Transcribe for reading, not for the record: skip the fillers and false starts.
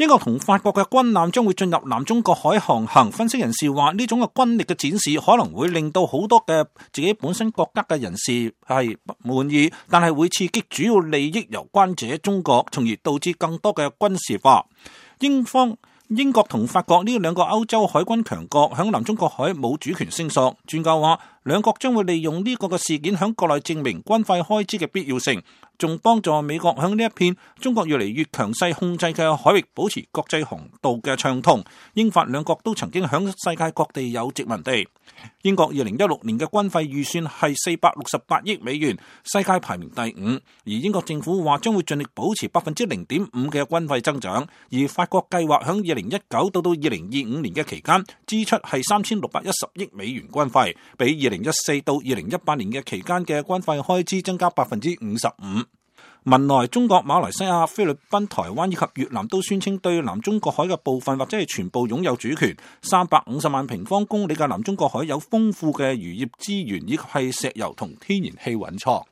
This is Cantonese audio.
英國同法國嘅軍艦將會進入南中國海航行，分析人士話呢種嘅軍力嘅展示可能會令到好多嘅自己本身國家嘅人士係不滿意，但係會刺激主要利益攸關者中國，從而導致更多嘅軍事化。英國同法國呢兩個歐洲海軍強國響南中國海冇主權聲索，專家話兩國將會利用呢個嘅事件響國內證明軍費開支嘅必要性，仲幫助美國響呢一片中國越嚟越強勢控制嘅海域保持國際航道嘅暢通。英法兩國都曾經響世界各地有殖民地。英國2016年嘅軍費預算係468億美元，世界排名第5，而英國政府話將會盡力保持0.5%嘅軍費增長，而法國計劃響2019到2025年嘅期間支出係3610億美元軍費，比2014到2018年嘅期間嘅軍費開支增加55%。文萊、中國、馬來西亞、菲律賓、台灣以及越南都宣稱對南中國海嘅部分或者係全部擁有主權。350萬平方公里嘅南中國海有豐富嘅漁業資源，以及係石油同天然氣蘊藏。